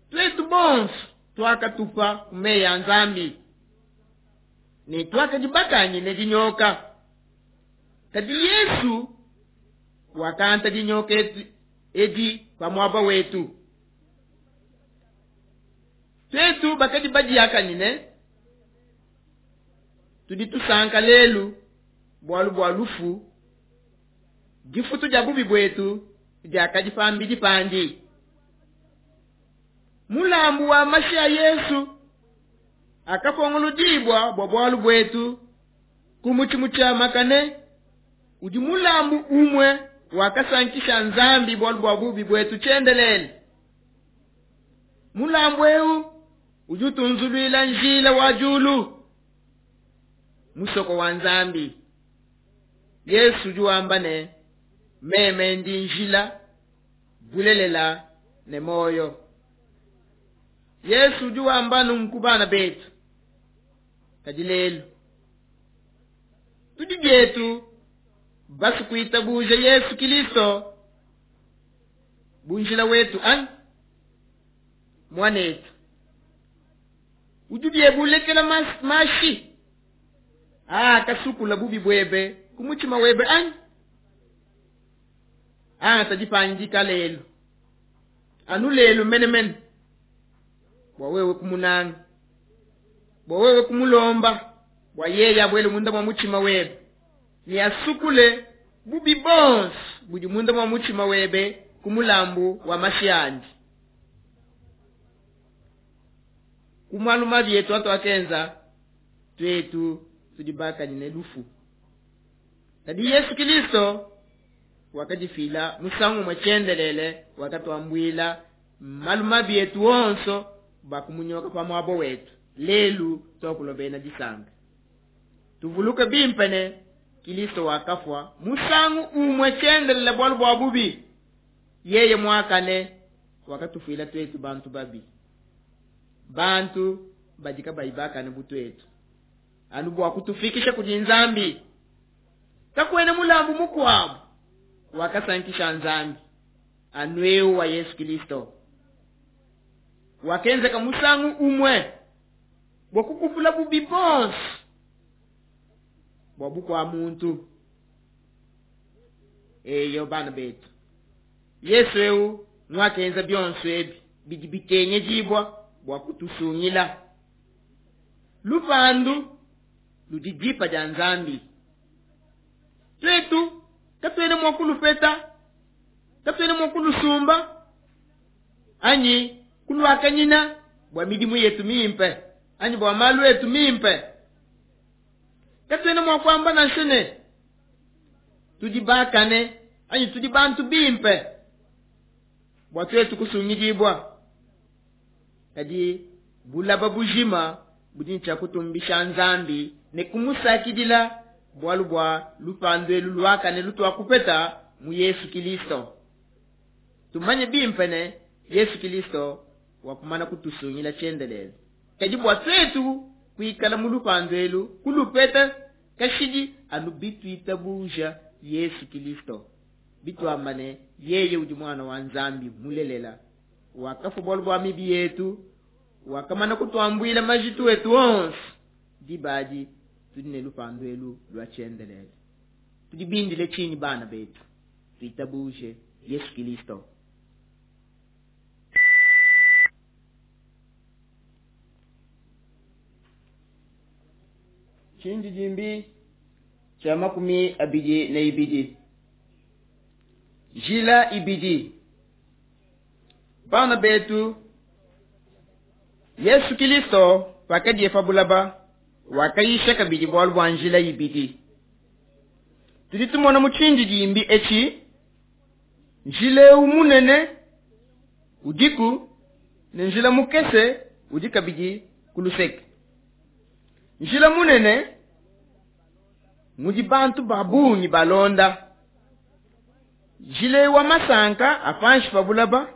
Twetu bonso twakatupa ku meyi a Nzambi ne twakadi bakanyina dinyoka. Kadi Yesu wakanta dinyoka edi pa muaba wetu. Twetu bakadi badiakanyine, tudi tusanka lelu bualu bua lufu, difutu dia bubi buetu diakadi pambidi pandi. Mulambu wa mashi a Yesu akapongolodibua bua bualu buetu ku mutshi mutshiamakane, udi mulambu umue wakasankisha Nzambi bualu bua bubi buetu tshiendelele. Mulambu eu udi utunzuluila njila wa diulu, musoko wa Nzambi. Yesu udi wamba ne, meme ndi njila, bulelela ne moyo. Yesu udi wamba nunku bana betu. Kadi lelu tudi bietu basu kuitabuja Yesu Kristo bunjila wetu anyi mwanetu. Udi biebulekela mashi ah kasukula bubi bwebe ku mutima webe anyi ah tadipangika lelu anu lelu menemene bwa wewe kumunanga, bwa wewe kumulomba, bwa yeye abwele munda mwa mutima webe ni asukule bubi bonso budi munda mwa mutima webe kumulambu wa mashi andi. Kumalu mabi yetu atu akenza twetu tudibakanyine lufu. Kadi Yesu Kristo wakadifila musangu mwechendelele, wakatwambwila malu mabi yetu onso bakumunyoka pa mwabo wetu. Lelu twakulobena disanga tuvuluke bimpene Kristo wakafwa musangu umwe chendelele bwalu bwa bubi, yeye mwakane wakatufila twetu bantu babi, bantu badika bayibakane butwetu anu bwa kutufikisha kudi Nzambi. Kakwene mulambu mukwabu wakasankisha Nzambi anweu wa Yesu Kristo wakenzeka musangu umwe bwa kukupula bubi bonso bwa bukwa muntu. Eyo bana betu, Yesu eu mwakenza byonso ebi bidi bikengedibwa bwa kutusungila. Lupandu ludi dipa dia Nzambi. Twetu katwene mwa kulupeta, katwene mwa kulusumba anyi kulwakanyina bwa midimu yetu mimpe anyi bwa malu yetu mimpe. Katwene mwa kwamba na shene tudi bakane anyi tudi bantu bimpe bwa twetu kusungidibwa. Kadi bulaba bujima budi ncha kutumbisha Nzambi ne kumusakidila bwalu bwa lupandu elu lwakane lutwa kupeta mu Yesu Kristo. Tumanye bimpe ne Yesu Kristo wakumana kutusungila chendelele. Kadi bwa twetu kuikala mu lupandu elu kulupeta kashidi anu bitwitabuja Yesu Kristo. Bitwambane yeye udi mwana wa Nzambi mulelela, wakafa bwalu bwa mibi yetu, wakamana kutwambwila majitu wetu onso dibadi tudi ne lupandu elu lwa chendelele. Tudibindile chini bana betu, tuitabuje Yesu Kristo. Chindi jimbi cha makumi abidi na ibidi. Jila ibidi. Bana betu, Yesu Kristo wakadiye pabulaba wakayisha kabidi bwalu bwa njila ibidi. Tudi tumona mu chindi jimbi echi njila eu munene udiku ne njila mukese udi kabidi ku luseke. Njila munene mudi bantu ba bungi balonda. Njila wa masanka a panshi pa bulaba.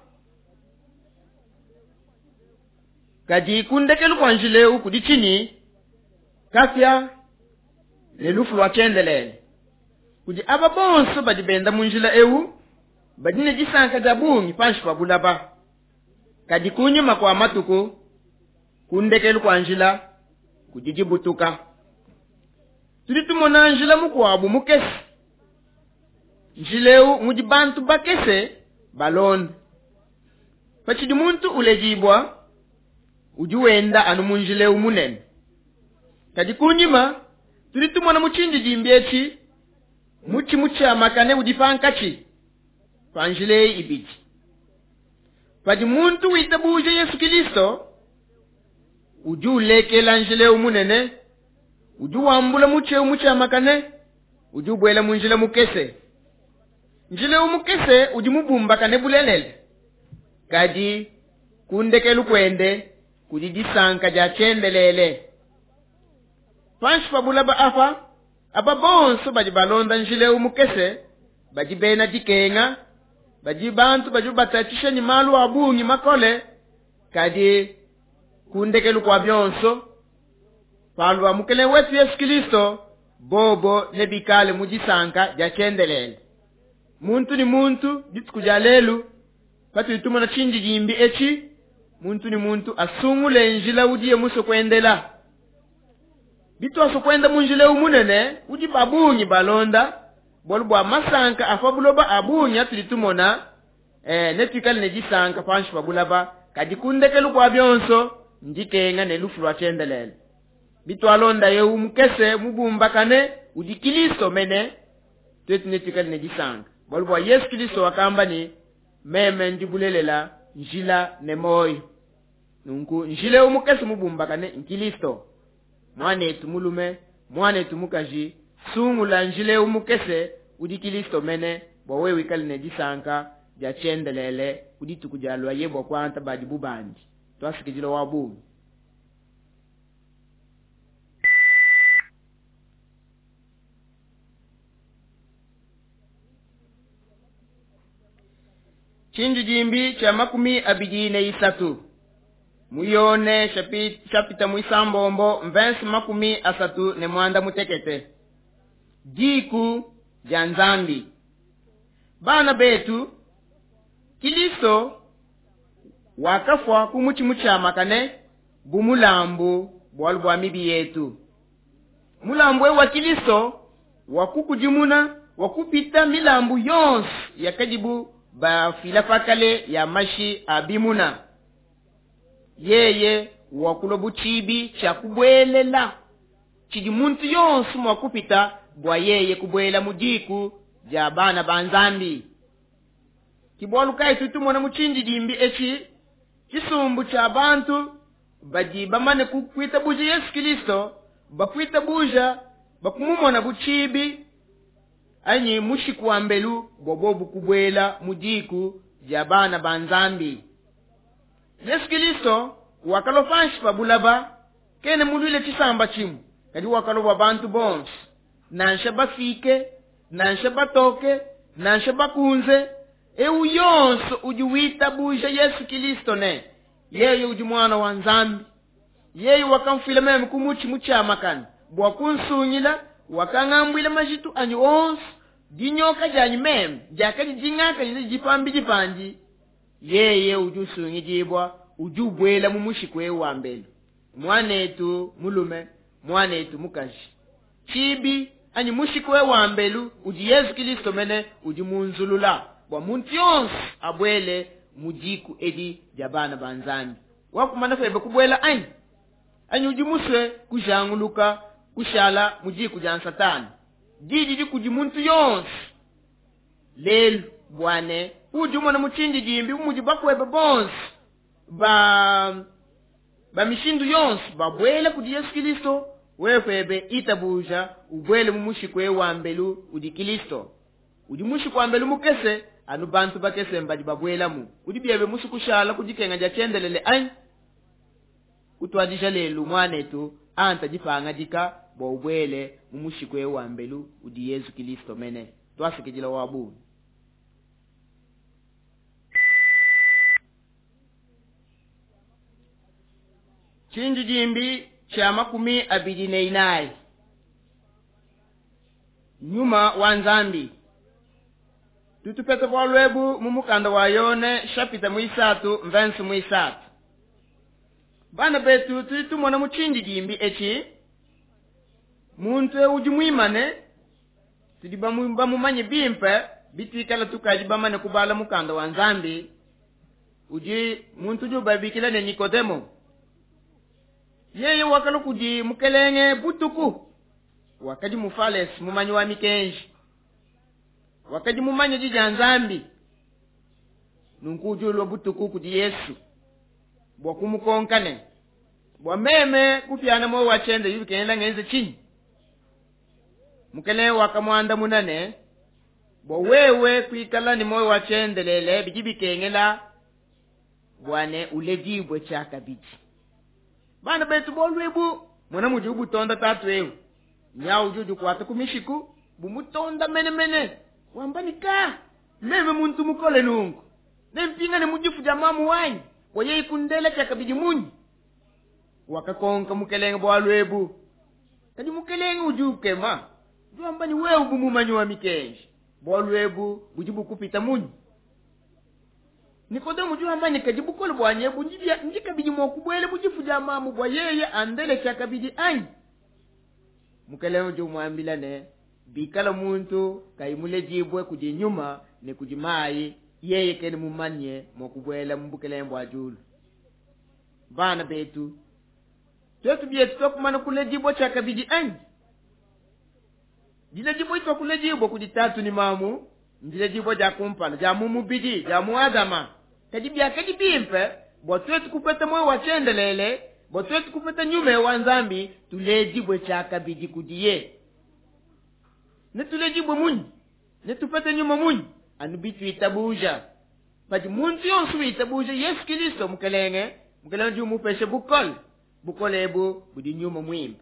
Kadi kundekelu kwa njila eu kudi tshinyi? Kapia ne lufu lwa tshiendelele. Kudi aba bonso badi benda mu njila eu badi ne disanka dia bungi panshi pa bulaba. Kadi kunyima kwa matuku kundekelu kwa njila kudi dibutuka. Tudi tumona njila mukuabu mukese. Njila eu mudi bantu bakese balonda. Patshidi muntu uledibua udi wenda anu mu njila eu munene. Kadi kunyima tudi tumona mu tshindidimbi etshi mutshi mutshiamakane udi pankatshi pa njila eyi ibidi. Padi muntu witabuja Yesu Kristo udi ulekela njila eu munene, udi wambula mutshi eu mutshiamakane, udi ubuela mu njila mukese. Njila eu mukese udi mubumbakane bulelele. Kadi kundekelu kwende kudi disanka dia tshiendelele. Panshi pa bulaba apa aba bonso badi balonda njila eu mukese badi bena dikenga, badi bantu badi batatshisha ni malu a bungi makole. Kadi kundekelu kwa bionso palwa mukele wetu Yesu Kristo bobo nebikale mu disanka dia tshiendelele. Muntu ni muntu dituku dia lelu patudi tumona tshindidimbi etshi, muntu ni muntu asungule njila udiye musue kuendela. Bitwaso kwenda mu njila eu munene udi babungi balonda bualu bua masanka a pa buloba a bungi atudi tumona, eh, netuikale ne disanka panshi pa bulaba. Kadi kundekelu kwa bionso ndikenga ne lufu lwa tshiendelele. Bitwalonda eu mukese mubumbakane udi Kristo mene, twetu netuikale ne disanka bualu bua Yesu Kristo wakamba ni meme ndi bulelela njila ne moyo. Nunku njila eu mukese mubumbakane Nkristo. Mwanetu mulume, mwanetu mukaji, sungula njila eu mukese udi Kristo mene bua wewe wikale ne disanka dia tshiendelele ku dituku dia lwa bua kuanta badi bubandi. Twasikidila wa bungi. Tshindidimbi tshia makumi abidi ne isatu. Muyone chapita mwisambombo mvensi makumi asatu ne mwanda mutekete. Diku dia Nzambi. Bana betu, Kristo wakafwa ku mutshi mutshiamakane bu mulambu bualu bua mibi yetu. Mulambu wa Kristo wakukudimuna wakupita milambu yonso yakadibu bafila pakale ya mashi a bimuna. Yeye wakulwa butshibi tshia kubwelela tshidi muntu yonso mwa kupita bua yeye kubwela mu diku dia bana ba Nzambi. Kibwalu kai tutumona mu tshindidimbi etshi tshisumbu tshia bantu badi bamane kuitabuja Yesu Kristo, bakuitabuja bakumumona butshibi anyi mushiku wa mbelu bobo kubwela mu diku dia bana ba Nzambi. Yesu Kristo wakalwa panshi pa bulaba kene mulwile tshisamba tshimu, kadi wakalwa bantu bonso, nansha bafike, nansha batoke, nansha bakunze. Eu yonso udi witabuja Yesu Kristo ne yeye udi mwana wa Nzambi. Yeye wakamfila meme ku mutshi mutshiamakane bua kunsungila, wakangambwila majitu anyi onso, dinyoka janyi meme diakadi dingaka dipambi dipandi. Yeye udi usungidibwa udi ubwela mu mushiku eu wa mbelu. Mwanetu mulume, mwanetu mukaji, tshibi anyi mushiku eu wa mbelu udi Yesu Kristo mene udi munzulula bua muntu yonso abwele mu diku edi dia bana ba Nzambi. Wakumana febe kubwela anyi anyi udi musue kujanguluka kushala mu diku dia Satani. Didi dikudi muntu yonso lelu bwane udi umona mu tshindidimbi mudi bakwebe bonso ba ba mishindu yonso babwele kudi Yesu Kristo. Wewe itabuja ubwele mu mushiku wa mbelu udi Kristo. Udi mushiku wa mbelu mukese anu bantu bakese mbadi babwelamu. Udi biebe musu kushala kudikenga dia tshiendelele anyi? Kutwadisha lelu mwanetu anta dipangadika bwa ubwele mu mushikwe wa mbelu udi Yesu Kristo mene. Twasikijila wabu. Chinji jimbi cha makumi abidi ne inayi. Nyuma wa Nzambi. Tutupete kwa lwebu mu mukanda wa Yone chapita mwisatu mvensu mwisatu. Bana betu tulitumona mu chinji jimbi echi muntu udi mwimane tudi bamumanye bimpe bitikala tukaji bamane kubala mukanda wa Nzambi udi muntu udi ubabikila ne Nikodemo. Yeye wakala kudi mukelenge butuku wakadi mufales mumanyi wa mikenji wakadi mumanye dija Nzambi. Nunku udi ulua butuku kudi Yesu bwa kumukonkane bwa meme kupyana moyo wa chende yubikenda ngenze chinyi. Mukelenge wakamwanda munane bwa wewe kuikala ni moyo wa chende lele bijibikengela bwane uledibwe chakabiji. Bana betu bolwebu mwana muji ubutonda tatu ewu nyawu juju kwata kumishiku bumutonda mene mene wambanika meme muntu mukole nungu nempinga ne mujifu ja mamu wanyi waye ikundela chakabiji munyi. Wakakonka mukelenge bwalwebu kadi mukelenge ujukema juambani wewe bumumanyi wa mikenji bwalwebu bujibu kupita munyi. Nikodemo juambani kajibukole bwanye bunjibya njikabiji mwakubwele bujifu ja mamu bwa yeye andele chakabiji anyi. Mukelenge jumwambila ne bikala muntu kaimule jibwe kujinyuma ne kujimayi yeye kene mumanye mwakubwela mbukelenge bwa julu. Bana betu twetu bietu twakumana kule jibwa chakabiji anyi. Dile jibwa itwa kule jibwa kujitatu ni mamu ndile jibwa ja kumpala ja mumubidi ja muadama kadibya kadibimpe bwa twetu kupeta moyo wa chendelele bwa twetu kupeta nyume wa Nzambi tule jibwe chakabiji kudiye. Ne tule jibwe munyi ne tupete nyuma munyi anubitu itabuja pati muntu yonsu itabuja Yesu Kristo mukelenge mukelenge jumupeshe bukole bukolebu budi nyuma mwimba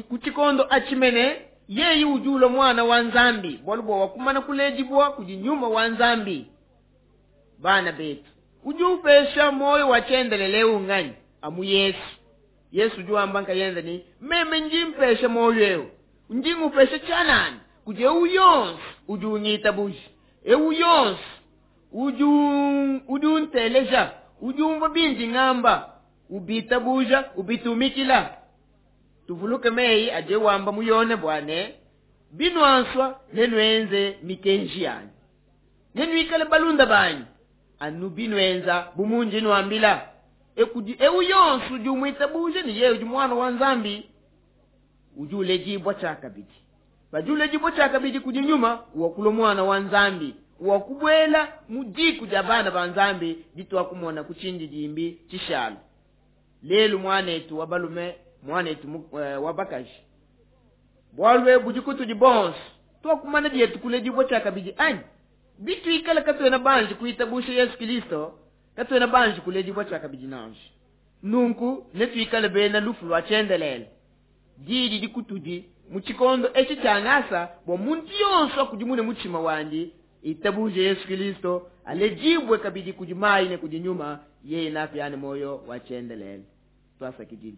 kuchikondo achimene yeyi ujulo mwana wa Nzambi bwalubo wakumana kulejibwa kujinyuma wa Nzambi. Bana betu ujupesha moyo wa chendelele unganyi amu Yesu. Yesu juamba nkayenza ni meme njimpesha moyo eo njingupesha chanani kuje uyonsi ujunyita buji euyonsi uju ujunteleja ujumva bindi ngamba ubita buja ubitumikila. Tuvuluke meyi aje wamba muyone bwane binwanswa nenwenze mikenji yanyu nenwikale balunda banyu anu binwenza bumunji nwambila ekudi euyonsu jumwita buje ni yewe mwana wa Nzambi ujule jibwa chakabiji bajule jibwa chakabiji kujinyuma wakulo mwana wa Nzambi wakubwela mujiku jabana ba Nzambi ditwa kumona kuchinji jimbi chishalo. Lelu mwanetu wabalume mwanetu wabakaji bwalwe bujikutu jibonso twakumana dietu kule jibwa chakabiji anyi bitu ikala katwena banji kuitabusha Yesu Kristo katwena banji kule jibwa chakabiji nanje. Nunku netu ikala bena lufu lwa chendelele didi dikutudi muchikondo echi changasa bwa muntu yonso kujimune muchima wandi itabuje Yesu Kristo alejibwe kabiji kujimayi ne kujinyuma yeye nafyane moyo wa chendelele. Twasa kijini.